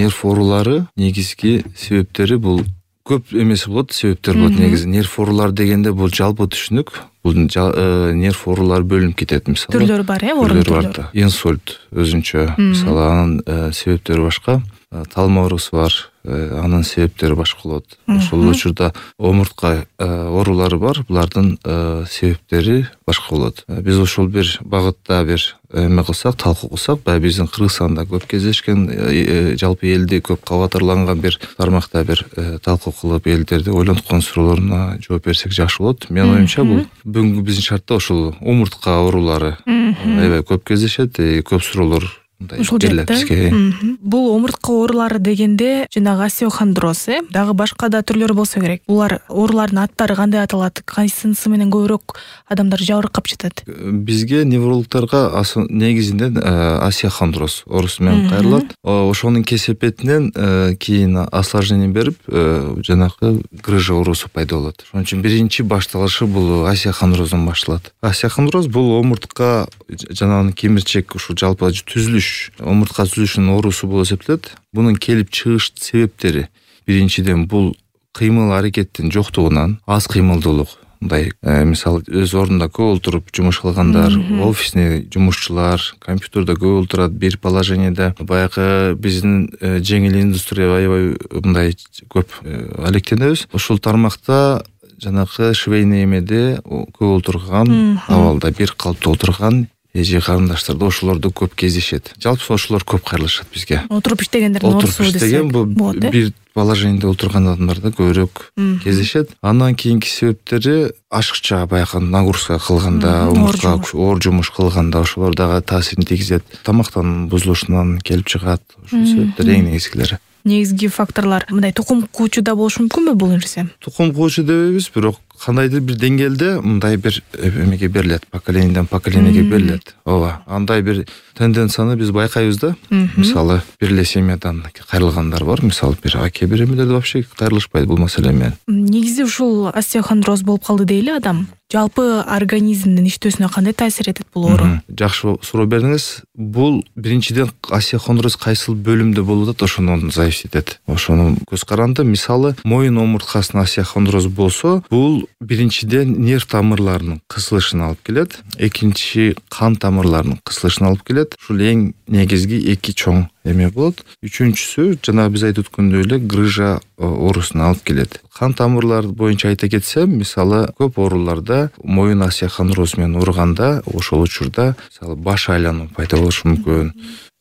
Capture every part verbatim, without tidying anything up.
нерв оорулары негизги себептери бул көп эмес болот, себептер болот негизи. Нерв оорулары дегенде бул жалпы түшүнүк. Бул нерв оорулары бөлүнүп кетет мисалы. Түрлөрү бар, э, оорунун түрлөрү. Инсульт өзүнчө, мисалы анын себептери башка. Талма оорусу бар, анын себептери башка болот. Ошол учурда омуртка оорулары бар, булардын себептери башка болот. Биз ошол бир багытта бир эме кылсак, талкуу кылсак, баягы биздин Кыргызстанда көп кездешкен, жалпы элди көп кабатырланган бир тармакта бир талкуу кылып, элдерди ойлонткон суроолоруна жооп берсек жакшы болот. Менин оюмча бул бүгүнкү биздин шартта ошол омуртка оорулары аябай көп кездешет, көп суроолор ушул жерде. Бул омуртка оорулары дегенде жанагы остеохондроз, э, дагы башка да түрлөрү болсо керек. Булар оорулардын аттары кандай аталат? Кайсынысы менен көбүрөөк адамдар жабыркап жатат? Бизге неврологдорго негизинен остеохондроз оорусу менен кайрылат. Ошонун кесепетинен кийин осложнение берип, жанагы грыжа оорусу пайда болот. Ошон үчүн биринчи башталышы бул остеохондроздон башталат. Остеохондроз бул омуртка жанагы кемирчек, ушул жалпы түзүлүш, омуртка түзүлүшүнүн оорусу болуп эсептелет. Бунун келип чыгыш себептери биринчиден бул кыймыл аракеттин жоктугунан, аз кыймылдуулук. Мындай, мисалы, өз ордунда көп отуруп жумуш кылгандар, офисный жумушчулар, компьютерде көп отурат, бир положениеде. Баягы биздин жеңил индустрия аябай мындай көп алектенебиз. Ушул тармакта жанагы швейный эмеде көп отурган, абалда бир калыпта отурган эже карындаштарда ошолорду көп кездешет. Жалпы ошолор көп кайрылышат бизге. Отуруп иштегендердин оорусу десек болот. Бир положениеде отурган адамдарда көбүрөөк кездешет. Андан кийинки себептери ашыкча баягы нагрузка кылганда, омуртка оор жумуш кылганда ошолор дагы таасирин тийгизет. Тамактан бузулушунан келип чыгат. Ошол себептер эң негизгилери. Негизги факторлор мындай тукум куучу да болушу мүмкүнбү бул нерсе? Тукум куучу дебейбиз, бирок кандайдыр бир деңгээлде мындай бир эмеге берилет, поколенияден поколениеге берилет. Ооба, андай бир тенденцияны биз байкайбыз да. Мисалы, бир эле семьядан кайрылгандар бар, мисалы, бир аке бир эмелерде вообще кайрылышпайт бул маселе менен. Негизи ушул остеохондроз болуп калды дейли адам. Жалпы организмдин иштөөсүнө кандай таасир этет бул оору? Жакшы суроо бердиңиз. Бул биринчиден остеохондроз кайсыл бөлүмдө болуп атат, ошондон зависит этет. Ошону көз каранды, мисалы, моюн омурткасына остеохондроз болсо, бул биринчиден нерв тамырларынын кысылышына алып келет, экинчи кан тамырларынын кысылышына алып келет. Ушул эң негизги эки чоң эме болот. Үчүнчүсү жана биз айтып өткөндөй эле грыжа оорусуна алып келет. Кан тамырлар боюнча айта кетсем, мисалы, көп ооруларда моюн остеохондроз менен урганда, ошол учурда мисалы баш айлануу пайда болушу мүмкүн.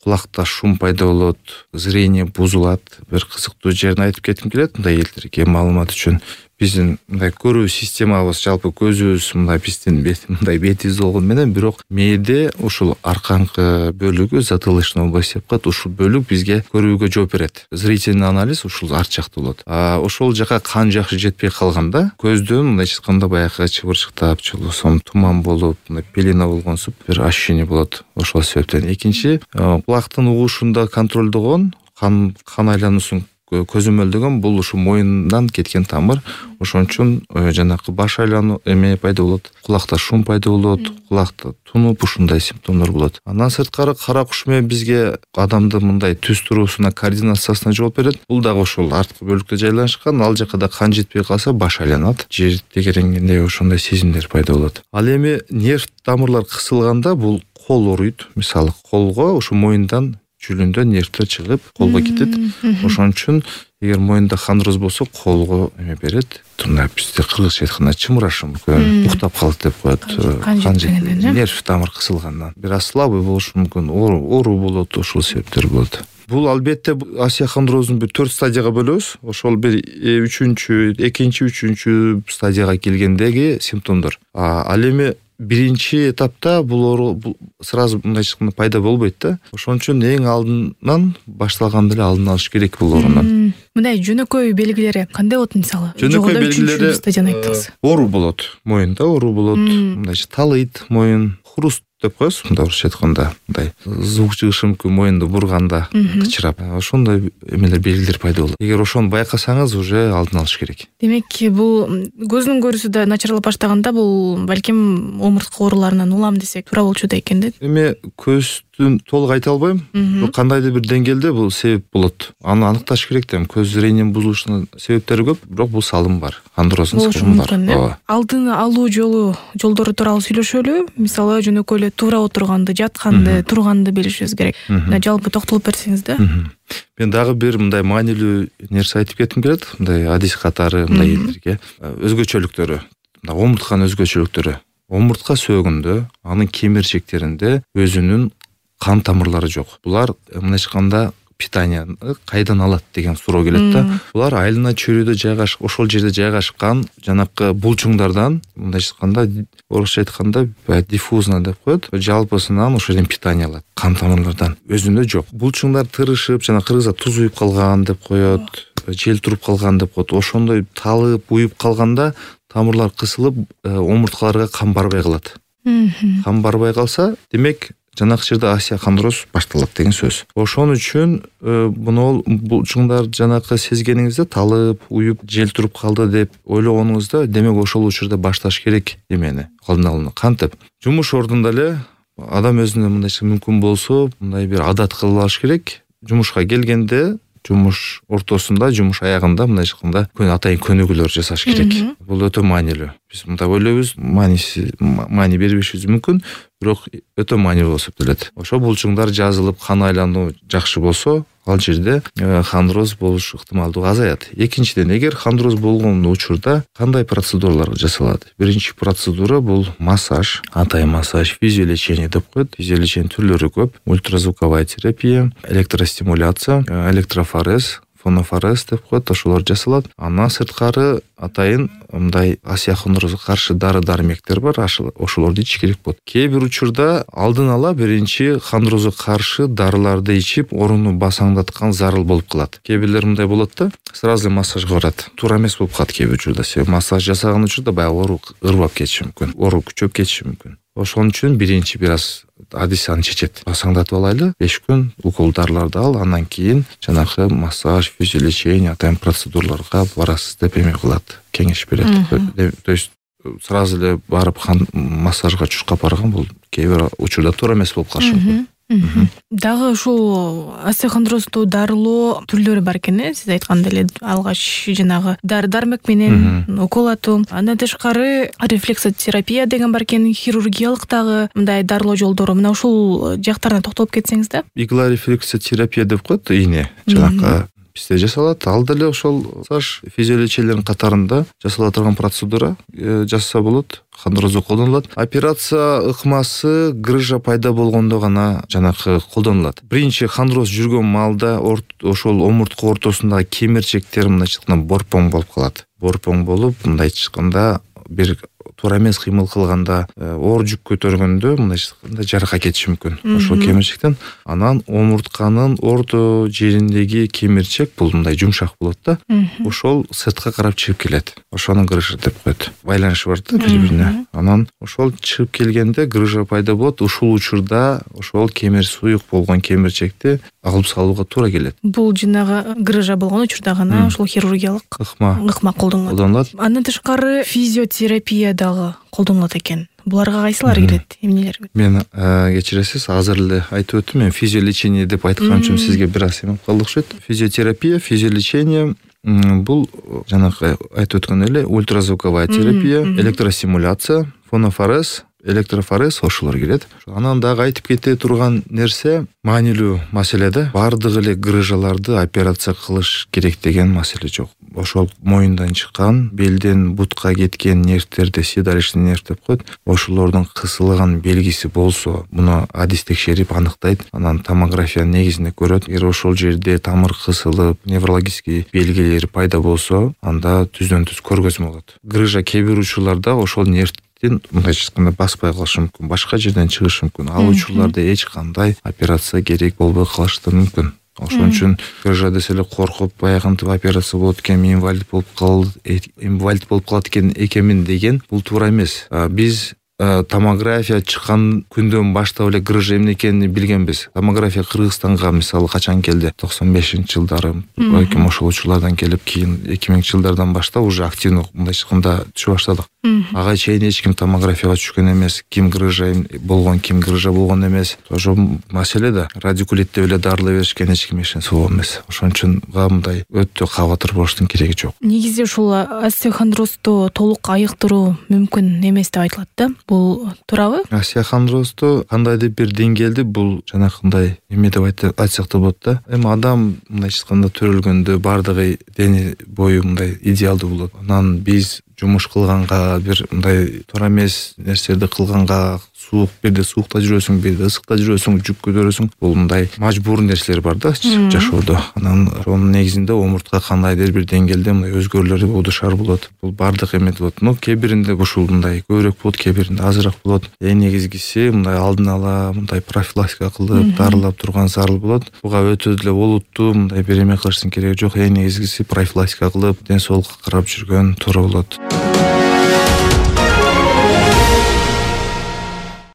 Кулакта шум пайда болот, зрение бузулат. Бир кызыктуу жерин айтып кетким келет, мындай элдерге маалымат үчүн. Биздин мындай көрүү системабыз, жалпы көзүбүз мындай биздин бет, мындай бетибиз болгон менен, бирок мээде ушул аркаңкы бөлүгү, затылочный область деп коет, ушул бөлүк бизге көрүүгө жооп берет. Зрительный анализ ушул арт жакта болот. А ошол жака кан жакшы жетпей калганда, көздөн мындай чыкканда баягы чыбырчыктап, чулуусун туман болуп, мындай пелена болгонсуп бир ощущение болот. Ошол себептен. Экинчи, кулактын угушунда контролдогон кан кан айлануусун көзөмөлдөгөн бул ушу моюндан кеткен тамыр. Ошон үчүн жанагы баш айлануу эме пайда болот, кулакта шум пайда болот, кулакта тунуп, ушундай симптомдор болот. Андан сырткары кара куш менен бизге адамдын мындай түз туруусуна, координациясына жооп берет. Бул дагы ошол арткы бөлүктө жайланышкан, ал жака да кан жетпей калса баш айланат, жер тегеренгендей ошондой сезимдер пайда болот. Ал эми нерв тамырлар кысылганда бул кол ооруйт, мисалы, колго ушу моюндан жүлүндө нервтер чыгып, колго кетет. Ошон үчүн эгер моюнда хондроз болсо, колго эме берет. Турна бизде кыргызча айтканда чымырашы мүмкүн, уктап калат деп коет. Кан жеткенден, нерв тамыр кысылгандан. Бир аз слабый болушу мүмкүн, оору болот, ошол себептер болот. Бул албетте остеохондроздун бир төрт стадияга бөлөбүз. Ошол бир үчүнчү, экинчи, үчүнчү стадияга келгендеги симптомдор. Ал эми биринчи этапта бул оору сразу мындай чыкканда пайда болбойт да. Ошон үчүн эң алдынан башталганда эле алдын алыш керек бул оорунун. Мындай жөнөкөй белгилери кандай болот мисалы? Жөнөкөй белгилери стадияны айттыңыз. Оору болот, моюнда оору болот, мындай талыйт моюн, хруст деп коебуз, мындай орусча айтканда, мындай звук чыгышы мүмкүн моюнду бурганда, кычырап. Ошондой эмелер белгилер пайда болот. Эгер ошону байкасаңыз, уже алдын алыш керек. Демек, бул көздүн көрүүсү да начарлап баштаганда, бул балким омуртка ооруларынан улам десек туура болчу да экен да. Эми көз себептин толук айта албайм, бирок кандайдыр бир деңгээлде бул себеп болот. Аны аныкташ керек да. Көз зрениянын бузулушунун себептери көп, бирок бул салым бар. Хондроздун салымы бар. Ооба. Алдын алуу жолу жолдору тууралуу сүйлөшөлү. Мисалы жөнөкөй эле туура отурганды, жатканды, турганды билишибиз керек. Мына жалпы токтолуп берсеңиз да. Мен дагы бир мындай маанилүү нерсе айтып кетким келет. Мындай адис катары мындай элдерге өзгөчөлүктөрү, мына омуртканын өзгөчөлүктөрү. Омуртка сөөгүндө, анын кемирчектеринде өзүнүн кан тамырлары жок. Булар мындайча айтканда питанияны кайдан алат деген суроо келет да. Булар айлана чөйрөдө жайгашып, ошол жерде жайгашкан жанакы булчуңдардан, мындайча айтканда, орусча айтканда диффузно деп коет. Жалпысынан ошол жерден питание алат. Кан тамырлардан өзүндө жок. Булчуңдар тырышып, жана кыргызда туз уюп калган деп коет, жел туруп калган деп коет. Ошондой талып, уюп калганда тамырлар кысылып, омурткаларга кан барбай калат. Кан барбай калса, демек жанакы жерде остеохондроз башталат деген сөз. Ошон үчүн буну булчуңдар жанакы сезгениңизде талып, уюп, жел туруп калды деп ойлогонуңузда, демек ошол учурда башташ керек эмени, алдын алууну. Кантип? Жумуш ордунда эле адам өзүнө мындайча мүмкүн болсо, мындай бир адат кылып алыш керек. Жумушка келгенде, жумуш ортосунда, жумуш аягында мындайча айтканда күн атайын көнүгүүлөр жасаш керек. Бул өтө маанилүү. Биз мындай ойлойбуз, мааниси маани бербешибиз мүмкүн, бирок өтө маанилүү болуп эсептелет. Ошо булчуңдар жазылып, кан айлануу жакшы болсо, ал жерде хондроз болуш ыктымалдыгы азаят. Экинчиден, эгер хондроз болгон учурда кандай процедуралар жасалат? Биринчи процедура бул массаж, атайын массаж, физиолечение деп коет. Физиолечение түрлөрү көп. Ультразвуковая терапия, электростимуляция, электрофорез, фонофорез деп коет, ошолор жасалат. Андан сырткары атайын мындай остеохондрозго каршы дары-дармектер бар, ошолорду ичиш керек болот. Кээ бир учурда алдын ала биринчи хондрозго каршы дарыларды ичип, оруну басаңдаткан зарыл болуп калат. Кээ бирлер мындай болот да, сразу массажга барат. Туура эмес болуп калат кээ бир учурда. Себеби массаж жасаган учурда баягы оору ырбап кетиши мүмкүн, оору күчөп кетиши мүмкүн. Ошон үчүн биринчи бир аз адис аны чечет. Басаңдатып алайлы, беш күн укол дарыларды ал, андан кийин жанагы массаж, физиолечение, атайын процедураларга барасыз деп эме кылат, кеңеш берет. То есть сразу эле барып массажга чуркап барган бул кээ бир учурда туура эмес болуп калышы мүмкүн. Дагы ушул остеохондрозду дарылоо түрлөрү бар экен, э? Сиз айткандай эле алгач жанагы дары-дармек менен укол атуу, андан тышкары рефлексотерапия деген бар экен, хирургиялык дагы мындай дарылоо жолдору. Мына ушул жактарына токтолуп кетсеңиз да. Игла рефлексотерапия деп коет, ийне жанакы бизде жасалат. Ал деле ошол массаж, физиолечениялардын катарында жасала турган процедура, жасаса болот. Хондрозго колдонулат. Операция ыкмасы грыжа пайда болгондо гана жанакы колдонулат. Биринчи хондроз жүргөн маалда ошол омуртка ортосундагы кемирчектер мындайча айтканда борпоң болуп калат. Борпоң болуп, мындайча айтканда бир туура эмес кыймыл кылганда, оор жүк көтөргөндө мындайча айтканда жарака кетиши мүмкүн. Ошол кемирчектен анан омуртканын орто жериндеги кемирчек бул мындай жумшак болот да. Ошол сыртка карап чыгып келет. Ошону грыжа деп коет. Байланышы бар да бири-бирине. Анан ошол чыгып келгенде грыжа пайда болот. Ушул учурда ошол кемир суюк болгон кемирчекти алып салууга туура келет. Бул жанагы грыжа болгон учурда гана ошол хирургиялык ыкма ыкма колдонулат. Андан тышкары физиотерапия дагы колдонулат экен. Буларга кайсылары кирет, эмнелер? Мен кечиресиз, азыр эле айтып өттүм. Мен физиолечение деп айткан үчүн сизге бир аз эме калдык окшойт. Физиотерапия, физиолечение бул жанагы айтып өткөн эле ультразвуковая терапия, электростимуляция, фонофорез, электрофорез ошолор кирет. Анан дагы айтып кете турган нерсе маанилүү маселе да. Бардык эле грыжаларды операция кылыш керек деген маселе жок. Ошол моюндан чыккан, белден бутка кеткен нервтерди седалищный нерв деп коет. Ошолордун кысылган белгиси болсо, муну адис текшерип аныктайт. Анан томография негизинде көрөт. Эгер ошол жерде тамыр кысылып, неврологический белгилери пайда болсо, анда түздөн-түз көргөзмө болот. Грыжа кээ бир учурларда ошол нерв мындайча айтканда баспай калышы мүмкүн, башка жерден чыгышы мүмкүн. Ал учурларда эч кандай операция керек болбой калышы да мүмкүн. Ошон үчүн грыжа десе эле коркуп, баягынтип операция болот экен, инвалид болуп калды, инвалид болуп калат экен экенмин деген бул туура эмес. Биз томография чыккан күндөн баштап эле грыжа эмне экенин билгенбиз. Томография Кыргызстанга мисалы качан келди? токсон бешинчи жылдары балким ошол учурлардан келип, кийин эки миңинчи жылдардан баштап уже активдүү мындайча айтканда түшө баштадык. Ага чейин эч ким томографияга түшкөн эмес, ким грыжа болгон, ким грыжа болгон эмес. Ошо маселе да радикулит деп эле дарылай беришкен, эч ким ишенсе болбойт эмес. Ошон үчүн мындай өтө кабатыр болуштун кереги жок. Негизи ушул остеохондрозду толук айыктыруу мүмкүн эмес деп айтылат да. Бул туурабы? Остеохондрозду кандайдыр бир деңгээлде бул жанакындай эме деп айтсак да болот да. Эми адам мындайча айтканда төрөлгөндө бардыгы дени бою мындай идеалдуу болот. Анан биз жумуш кылганга, бир мындай туура эмес нерселерди кылганга, суук бирде суукта жүрөсүң, бирде ысыкта жүрөсүң, жүк көтөрөсүң. Бул мындай мажбур нерселер бар да жашоодо. Анан ошонун негизинде омуртка кандайдыр бир деңгээлде мындай өзгөрүүлөр болушар болот. Бул бардык эме болот. Но кээ биринде ушул мындай көбүрөөк болот, кээ биринде азыраак болот. Эң негизгиси мындай алдын ала мындай профилактика кылып, дарылап турган зарыл болот. Буга өтө деле олуттуу мындай бир эме кылыштын кереги жок. Эң негизгиси профилактика кылып, ден соолукка карап жүргөн туура болот.